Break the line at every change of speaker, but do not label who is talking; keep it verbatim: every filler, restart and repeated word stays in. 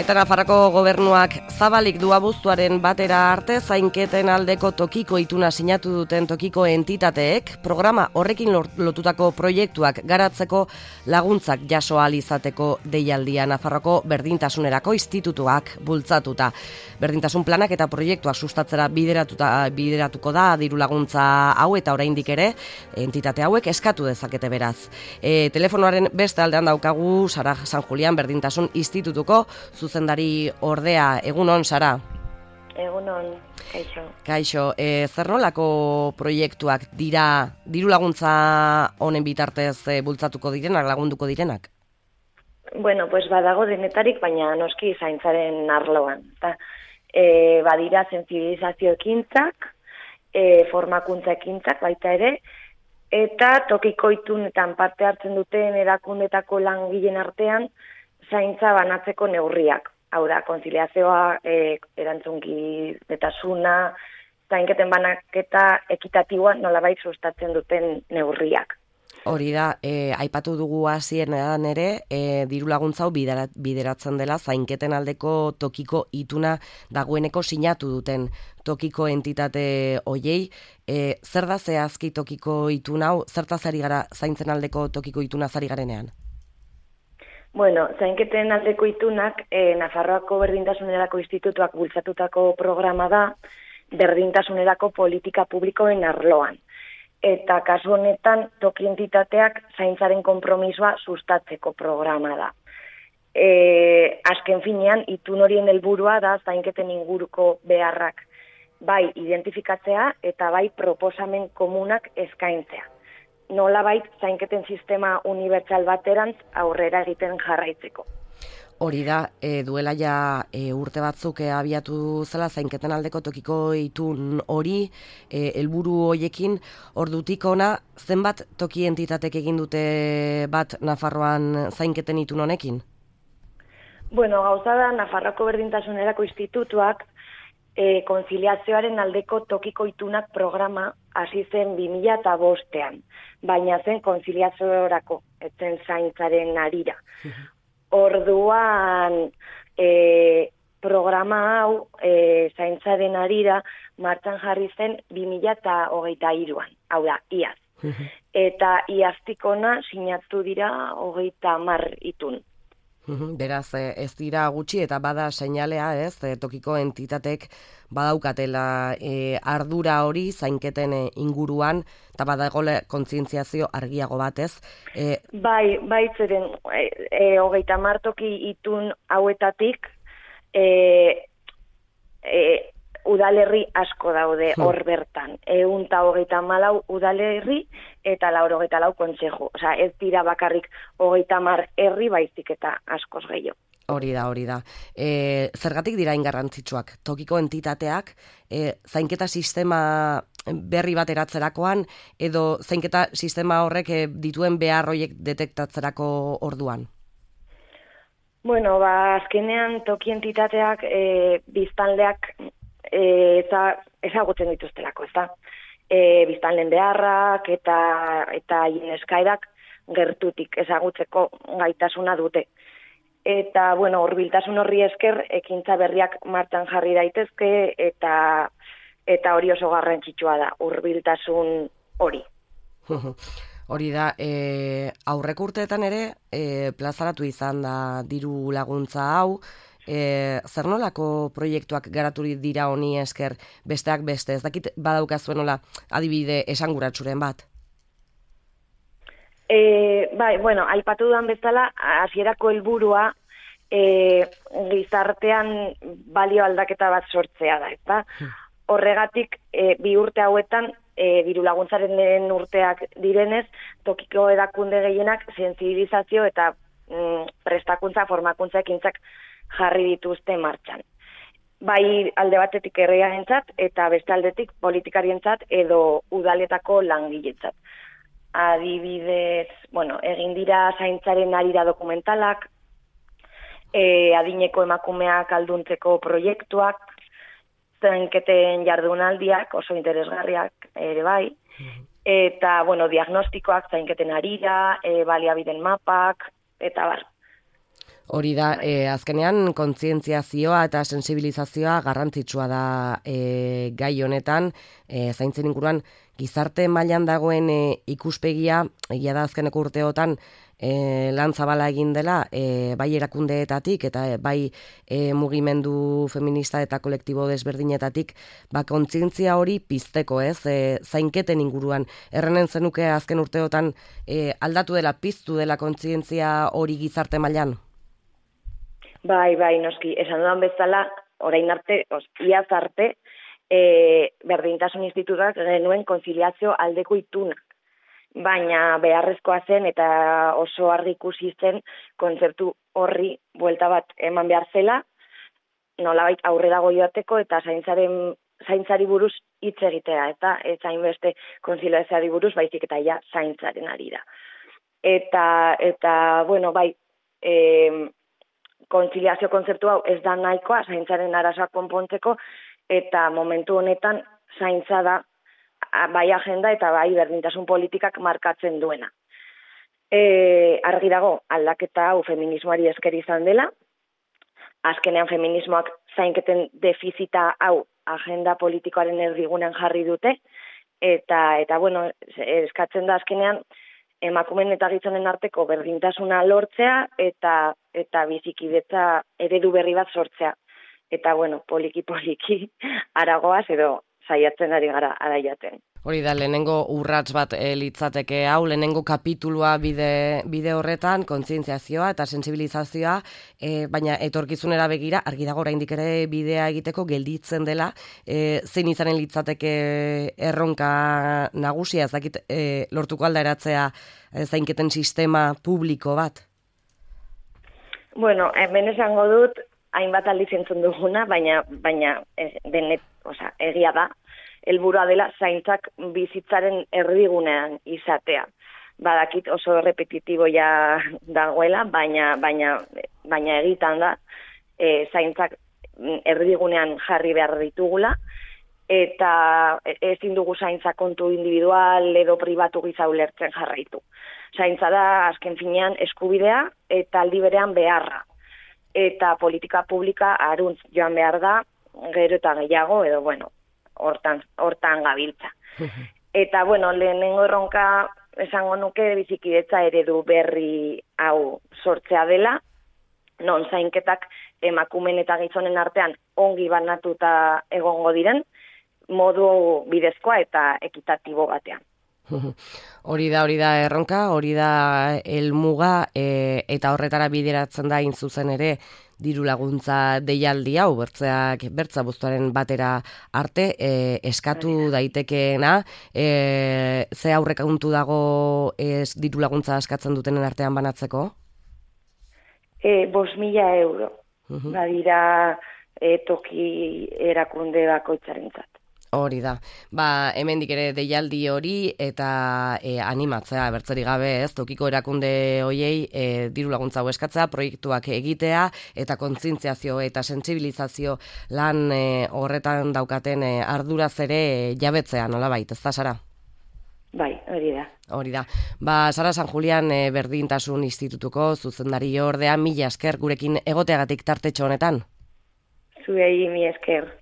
Eta Nafarroko gobernuak zabalik du abuztuaren batera arte zainketen aldeko tokiko ituna sinatu duten tokiko entitateek programa horrekin lotutako proiektuak garatzeko laguntzak jaso ahal izateko deialdia Nafarroko Berdintasunerako Institutuak bultzatuta. Berdintasun planak eta proiektuak sustatzera bideratuta bideratuko da diru laguntza hau eta oraindik ere entitate hauek eskatu dezakete beraz. E, telefonoaren beste aldean daukagu Sara San Julián Berdintasun Institutuko zuzendari ordea. Egunon, Sara?
Egunon, kaixo.
Kaixo, e, zer nolako proiektuak dira diru laguntza honen bitartez e, bultzatuko direnak, lagunduko direnak?
Bueno, pues badago denetarik, baina noski zaintzaren arloan. Ta, e, badira sentsibilizazio ekintzak, e, formakuntza ekintzak baita ere, eta tokiko itunetan parte hartzen duten erakundetako langileen artean zaintza banatzeko neurriak. Hau da, konziliazioa, e, erantzunkidetasuna, zainketen banaketa ekitatiboa nolabait sustatzen duten neurriak.
Hori da, e, aipatu dugu hasieran ere, e, diru laguntza hau biderat, bideratzen dela zainketen aldeko tokiko ituna dagoeneko sinatu duten tokiko entitate hoiei. E, zer da zehazki tokiko ituna hau, zertaz ari gara zaintzen aldeko tokiko ituna zari garenean?
Bueno, zainketen aldeko itunak eh, Nafarroako Berdintasunerako Institutuak bultzatutako programa da berdintasunerako politika publikoen arloan. Eta kasu honetan toki entitateak zaintzaren konpromisoa sustatzeko programa da. E, azken finean, itun horien helburua da zainketen inguruko beharrak bai identifikatzea eta bai proposamen komunak eskaintzea. Nolabait zainketen sistema unibertsal baterantz aurrera egiten jarraitzeko.
Hori da, e, duela ja e, urte batzuk e, abiatu zela zainketen aldeko tokiko itun hori, e, helburu hoiekin, ordutik ona zenbat toki entitatek egin dute bat Nafarroan zainketen itun honekin?
Bueno, gauza da Nafarroako Berdintasunerako Institutuak e, konziliazioaren aldeko tokiko itunak programa hasi zen bi mila bostean, baina zen konziliaziorako, etzen zaintzaren harira. Orduan e, programa hau e, zaintzaren harira martxan jarri zen bi mila hogeita hiruan, hau da, iaz. Eta iaztik ona sinatu dira hogeita hamar itun.
Beraz, ez dira gutxi eta bada seinalea, ez, tokiko entitatek badaukatela e, ardura hori zainketen e, inguruan, eta badagoela kontzientziazio argiago bat, ez? E,
bai, bai zeren, e, e, hogeita hamar toki itun hauetatik, e, e, udalerri asko daude hor bertan. Ehun eta hogeita hamalau udalerri eta laurogeita lau kontseju. Osea, ez dira bakarrik hogeita hamar herri baizik eta askoz gehiago.
Hori da, hori da. E, zergatik dira ingarrantzitsuak? Tokiko entitateak e, zainketa sistema berri bat eratzerakoan edo zainketa sistema horrek e, dituen behar horiek detektatzerako orduan?
Bueno, ba, azkenean toki entitateak e, biztanleak E, eza, ezagutzen dituztelako, ez da? E, biztanleen beharrak eta eta eskaerak gertutik ezagutzeko gaitasuna dute. Eta, bueno, hurbiltasun horri esker, ekintza berriak martxan jarri daitezke eta eta hori oso garrantzitsua da, hurbiltasun hori.
Hori da, e, aurreko urteetan ere, e, plazaratu izan da diru laguntza hau, E, zer nolako proiektuak garatu dira honi esker besteak beste, ez dakit badaukazuen nola adibide esanguratsuren bat?
E, bai, bueno, aipatu dudan bezala, hasierako helburua e, gizartean balio aldaketa bat sortzea da, eta horregatik e, bi urte hauetan e, diru laguntzaren urteak direnez, tokiko erakunde gehienak sentsibilizazio eta mm, prestakuntza, formakuntza ekintzak jarri dituzte martxan. Bai alde batetik herriarentzat eta beste aldetik politikarientzat edo udaletako langiletzat. Adibidez, bueno, egin dira zaintzaren harira dokumentalak, e, adineko emakumeak alduntzeko proiektuak, zainketen jardunaldiak oso interesgarriak ere bai, eta, bueno, diagnostikoak zainketen harira, e, baliabideen mapak, eta bar.
Hori da, e, azkenean kontzientziazioa eta sensibilizazioa garrantzitsua da e, gai honetan, e, zaintzen inguruan gizarte mailan dagoen e, ikuspegia, egia da azkeneko urteotan e, lan zabala egin dela, e, bai erakundeetatik eta e, bai e, mugimendu feminista eta kolektibo desberdinetatik, ba kontzientzia hori pizteko, ez, e, zainketen inguruan. Errenen zenuke azken urteotan e, aldatu dela, piztu dela kontzientzia hori gizarte mailan?
Bai, bai, noski, esan dudan bezala, orain arte, os, iaz arte, e, berdintasun institutuak genuen konziliazio aldeko ituna. Baina beharrezkoa zen eta oso argi ikusi zen kontzeptu horri buelta bat eman behar zela, nolabait aurrera joateko eta zaintzaren zaintzari buruz hitz egitea, eta ez hainbeste konziliazioari buruz, baizik eta ja zaintzaren ari da. Eta, eta bueno, bai, eh, kontziliazio kontzeptu hau ez da nahikoa zaintzaren arazoak konpontzeko, eta momentu honetan zaintza da bai agenda eta bai berdintasun politikak markatzen duena. E, argi dago aldaketa hau feminismoari esker izan dela, azkenean feminismoak zainketen defizita hau agenda politikoaren erdigunean jarri dute, eta, eta bueno, eskatzen da azkenean emakumeen eta gizonen arteko berdintasuna lortzea eta eta bizikidetza eredu berri bat sortzea. Eta bueno, poliki-poliki aragoaz edo saiatzen ari gara araiaten.
Hori da, lehenengo urrats bat e, litzateke hau, lehenengo kapitulua bide, bide horretan, kontzientziazioa eta sensibilizazioa, e, baina etorkizunera begira, argi dago oraindik ere bidea egiteko gelditzen dela, e, zein izanen litzateke erronka nagusia, ez dakit e, lortuko alderatzea e, zainketen sistema publiko bat?
Bueno, hemen esango dut, hainbat aldiz entzun duguna, baina, baina e, denet, oza, egia da, helburua dela zaintzak bizitzaren erdigunean izatea. Badakit oso repetitibo ja dagoela, baina baina baina egitan da e, zaintzak erdigunean jarri behar ditugula, eta ezin dugu zaintza kontu individual edo pribatu gisa ulertzen jarraitu. Zaintza da azken finean eskubidea eta aldi berean beharra. Eta politika publika aruntz joan behar da, gero eta gehiago, edo bueno, hortan, hortan gabiltza. Eta, bueno, lehenengo erronka esango nuke bizikidetza eredu berri hau sortzea dela, non zainketak emakumen eta gizonen artean ongi banatuta egongo diren, modu bidezkoa eta ekitatibo batean.
Hori da, hori da erronka, hori da helmuga, e, eta horretara bideratzen da hain zuzen ere diru laguntza deialdi hau, bertzeak bertza buztuaren batera arte, e, eskatu daitekeena, e, ze aurrekontu dago ez diru laguntza eskatzen dutenen artean banatzeko?
E, Bos mila euro, uh-huh. Badira e, toki erakunde bakoitzarentzat.
Hori da. Ba, hemendik ere deialdi hori eta e, animatzea bertzeri gabe, ez, tokiko erakunde hoiei e, diru laguntza hau eskatzea, proiektuak egitea eta kontzientziazio eta sentsibilizazio lan e, horretan daukaten e, arduraz ere e, jabetzea, nolabait, ez da, Sara?
Bai, hori da.
Hori da. Ba, Sara San Julian e, Berdintasun Institutuko zuzendari ordea, mila esker gurekin egoteagatik tartetxo honetan.
Zuei mi esker.